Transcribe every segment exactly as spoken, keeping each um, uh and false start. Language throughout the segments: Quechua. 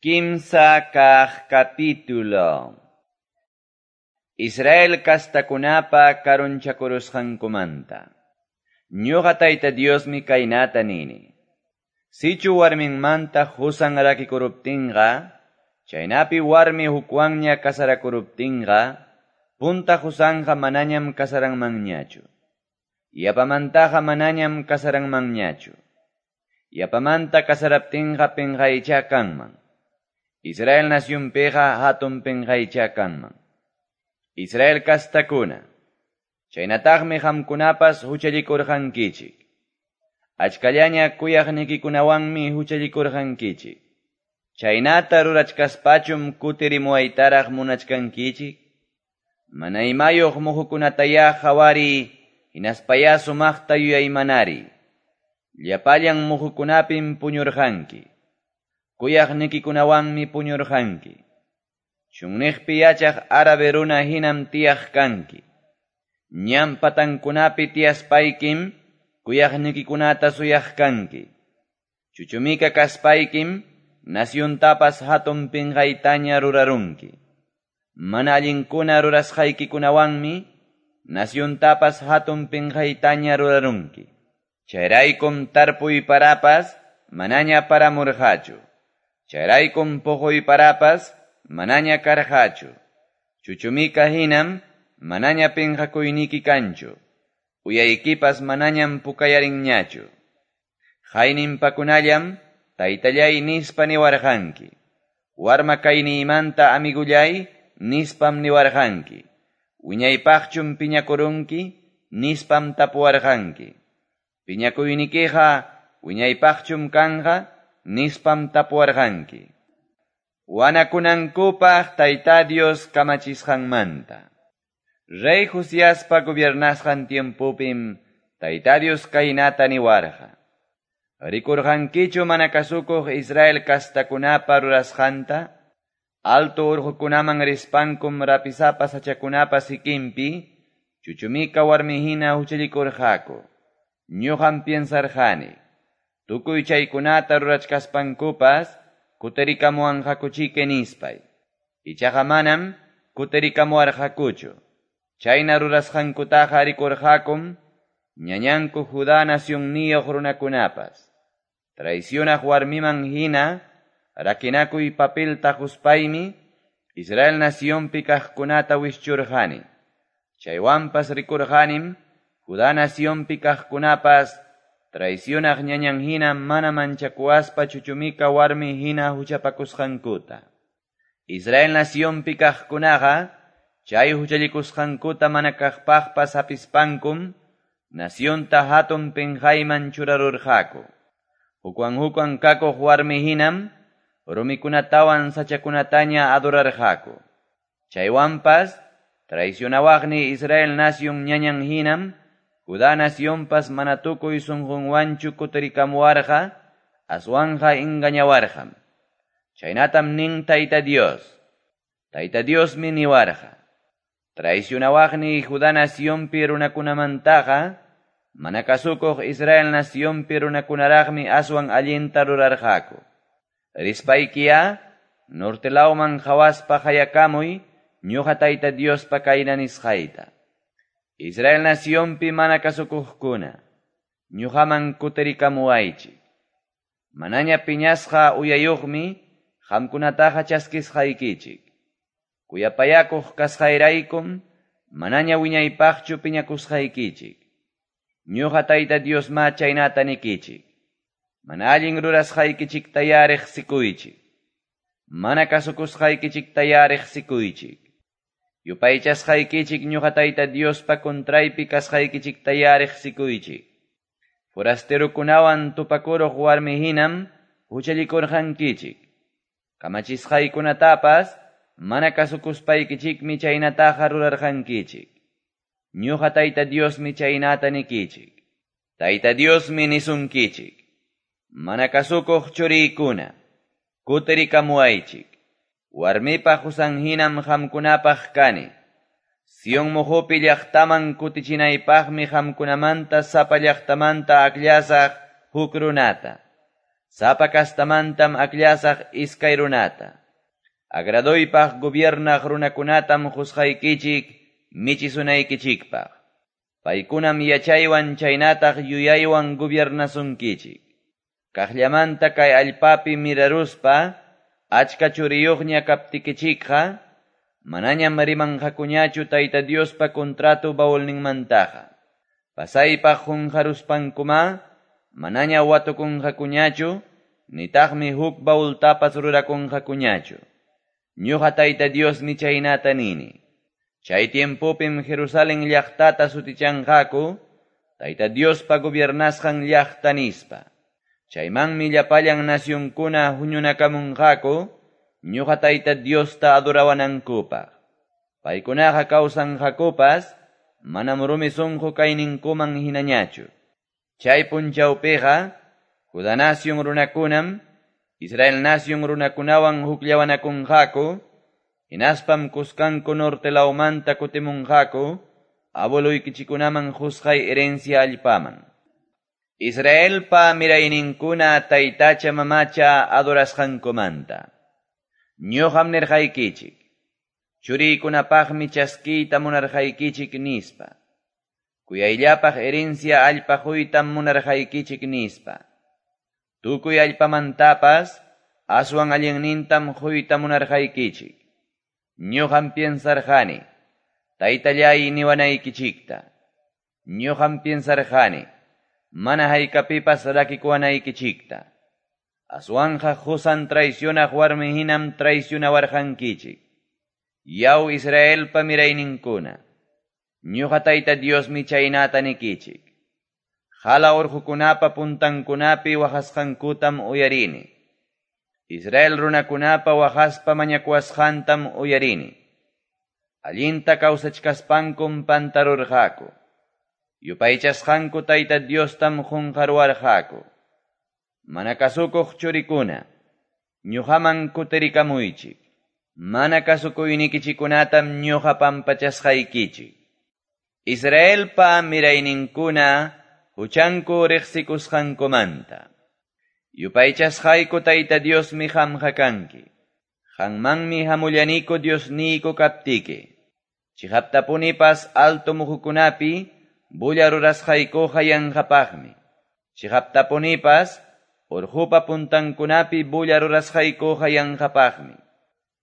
Kimsa kaq capítulo. Israel kastakunapa karunchakurusqankumanta. Ñuqa Tayta Diosmi kaynata nini. Sichu warminmanta husan rakikuruptinqa, chaynapi warmi hukwanña kasarakuruptinqa, punta husanqa manañam kasaranmanñachu. Yapamantaqa manañam kasaranmanñachu. Yapamanta kasaraptinqa pinqaycha kanman. Israel nasyunpiqa hatun pinqaycha kanman. Israel kastakuna, chaynataqmi qamkunapas huchallikurqankichik. Achkallaña kuyaqnikikunawanmi huchallikurqankichik. Chaynata rurachkaspachum kutirimuwaytaraq munachkankichik. Mana imayuq muhukunatayá qhawariy, hinaspayá sumaqta yuyaymanari. Llapallan muhukunapim puñurqanki. Kuyaqnikikunawanmi puñurqanki. Chunniqpi yachaq árabe runa hinam tiyaq kanki. Ñan patankunapi tiyaspaykim kuyaqnikikunata suyaq kanki. Chuchumika kaspaykim nasyuntapas hatun pinqaytaña rurarunki. Mana allinkuna rurasqaykikunawanmi nasyuntapas hatun pinqaytaña rurarunki. Chayraykum tarpuy parapas manaña paramurqachu. Chayraykum puquy parapas manaña karqachu. Chuchumika hinam manaña pinqakuyniki kanchu. Uyaykipas manañam pukayarinñachu. Hayninpakunallam taytallay nispa niwarqanki. Warma kayniymanta amigullay nispam niwarqanki. Wiñaypaqchum piñakurunki nispam tapuwarqanki. Piñakuynikiqa wiñaypaqchum kanqa nispam tapuwarqanki. Wanakunankupaq Tayta Dios kamachisqanmanta. Rey Josiaspa gobiernasqan tiempopim Tayta Dios kaynata niwarqa. Rikurqankichu mana kasukuq Israel kastakunapa rurasqanta? Alto urqukunaman rispankum rapisapa sachakunapa sikinpi chuchumika warmihina huchallikurqaku. Ñuqam piensarqani. Tukuy chaykunata rurachkaspankupas kutirikamuwanqakuchike nispay. Ichaqa manam kutirikamuwarqakuchu. Chayna rurasqankutaqa rikurqakum ñañanku Judá nasyunniyuq runakunapas. Traicionaq warmiman hina rakinakuy papelta quspaymi Israel nasyunpi kaqkunata wischurqani. Chaywanpas rikurqanim Judá nasyunpi kaqkunapas traicionaq ñañan hina mana manchakuaspa chuchumika warmi hina huchapakusqankuta. Israel nasyunpi kaqkunaqa chay huchallikusqankuta mana kaqpaqpas hapispankum nasyunta hatun pinqayman churarurqaku. Hukwan hukwan kakuq warmi hinam rumikunatawan sachakunataña adorarqaku. Chaywanpas traicionawaqni Israel nasyun ñañan hinam Judá nasyunpas mana tukuy sunqunwanchu kutirikamuwarqa, aswanqa engañawarqam. Chaynatam nin Tayta Dios. Tayta Diosmi niwarqa. Traicionawaqni Judá nasyunpi runakunamantaqa, mana kasukuq Israel nasyunpi runakunaraqmi aswan allinta rurarqaku. Rispaykiya, norte lawman qhawaspa qayakamuy, ñuqa Tayta Diospa kayna nisqayta. Israel nasyunpi mana kasukuqkuna, ñuqaman kutirikamuwaychik. Manaña piñasqa uyayuqmi qamkunataqa chaskisqaykichik. Kuyapayakuq kasqayraykum manaña wiñaypaqchu piñakusqaykichik. Ñuqa Tayta Diosma chaynata nikichik. Mana allin rurasqaykichiktayá riqsikuychik. Mana kasukusqaykichiktayá riqsikuychik. Yupaychasqaykichik ñuqa Tayta Diospa contraypi kasqaykichiktayá riqsikuychik. Forasterokunawan tupakuruq warmi hinam huchallikurqankichik. Kamachisqaykunatapas mana kasukuspaykichikmi chaynataqa rurarqankichik. Ñuqa Tayta Diosmi chaynata nikichik. Tayta Diosmi nisunkichik. Mana kasukuq churiykuna, kutirikamuwaychik. Warmipa husan hinam qamkunapaq kani. Sion muhupi llaqtaman kutichinaypaqmi qamkunamanta sapa llaqtamanta akllashaq huk runata. Sapa castamantam akllasaq iskay runata. Agradoypaq gobiernaq runakunatam qusqaykichik michisunaykichikpaq. Paykunam yachaywan chaynataq yuyaywan gobiernasunkichik. Kaqllamanta kay allpapi miraruspa, achka churiyuqña kaptikichikqa, manañam rimanqakuñachu Tayta Diospa contrato baulninmantaqa. Pasaypaq qunqaruspankuma, manaña watukunqakuñachu, nitaqmi huk baultapas rurakunqakuñachu. Ñuqa Tayta Diosmi chaynata nini. Chay tiempopim Jerusalén llaqtata sutichanqaku, Tayta Diospa gobiernasqan llaqta nispa. Chaymanmi llapallan nacionkuna huñunakamunqaku, ñuqa Tayta Diosta adorawanankupaq. Paykunaqa kawsanqakupas, manam rumi sunqu kayninkuman hinañachu. Chay punchawpiqa, Judá nación runakunam, Israel nación runakunawan hukllawanakunqaku, hinaspam kuskanku norte lawmanta kutimunqaku, abueluykichikunaman qusqay herencia allpaman. Israelpa mirayninkuna taytacha mamacha adorasqankumanta. Ñuqam nirqaykichik, churiykunapaqmi chaskiyta munarqaykichik nispa. Kuyayllapaq herencia allpa quytam munarqaykichik nispa. Tukuy allpamantapas aswan allinnintam quyta munarqaykichik. Ñuqam piensarqani, taytallay niwanaykichikta. Ñuqam piensarqani, mana haykapipas rakikuwanaykichikta. Aswanja qusan traicionaq warmi hinam traicionawarqankichik. Yaw Israelpa mirayninkuna, ñuqa Tayta Diosmi chaynata nikichik. Hala urqukunapa puntankunapi waqasqankutam uyarini. Israel runakunapa waqaspa mañakuwasqantam uyarini. Allinta kawsachkaspankum pantarurqaku. Yupaychasqanku Tayta Diostam qunqaruwarqaku. Mana kasukuq churikuna, ñuqaman kutirikamuychik. Mana kasukuynikichikunatam ñuqa pampachasqaykichik. Israelpa mirayninkuna huchanku riqsikusqankumanta. Yupaychasqayku Tayta Diosmi qamqa kanki. Qanmanmi hamullaniku Diosniyku kaptiki. Chiqaptapunipas alto muhukunapi bulla rurasqaykuqa yanqapaqmi. Chiqaptapunipas urqupa puntankunapi bulla rurasqaykuqa yanqapaqmi.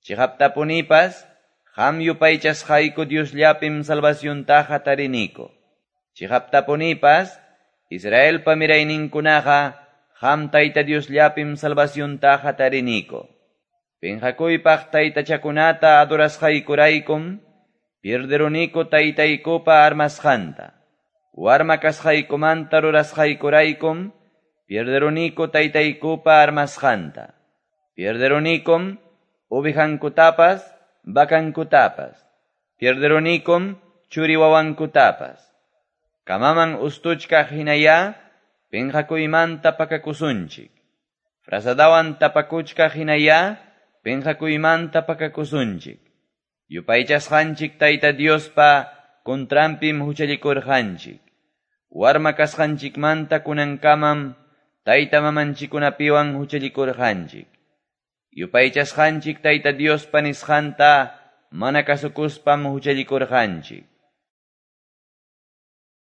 Chiqaptapunipas qam yupaychasqayku Diosllapim salvaciontaqa tariniku. Chiqaptapunipas Israelpa mirayninkunaqa qam Tayta Diosllapim salvaciontaqa tariniku. Pinqakuypaq taytachakunata adorasqaykuraykum, pierderuniku taytaykupa armasqanta. Warma kasqaykumanta rurasqaykuraykum, pierderuniku taytaykupa armasqanta. Pierderunikum ovejankutapas, vacankutapas. Pierderunikum churiwawankutapas. Kamaman ustuchkaq hinaya, pinqakuymanta pakakusunchik. Frazadawan tapakuchkaq hinaya, pinqakuymanta pakakusunchik. Yupaychasqanchik Tayta Diospa kontrampim huchallikurqanchik. Warma kasqanchikmanta kunankamam tayta mamanchikunapiwan huchallikurqanchik. Yupaychasqanchik Tayta Diospa nisqanta mana kasukuspam huchallikurqanchik.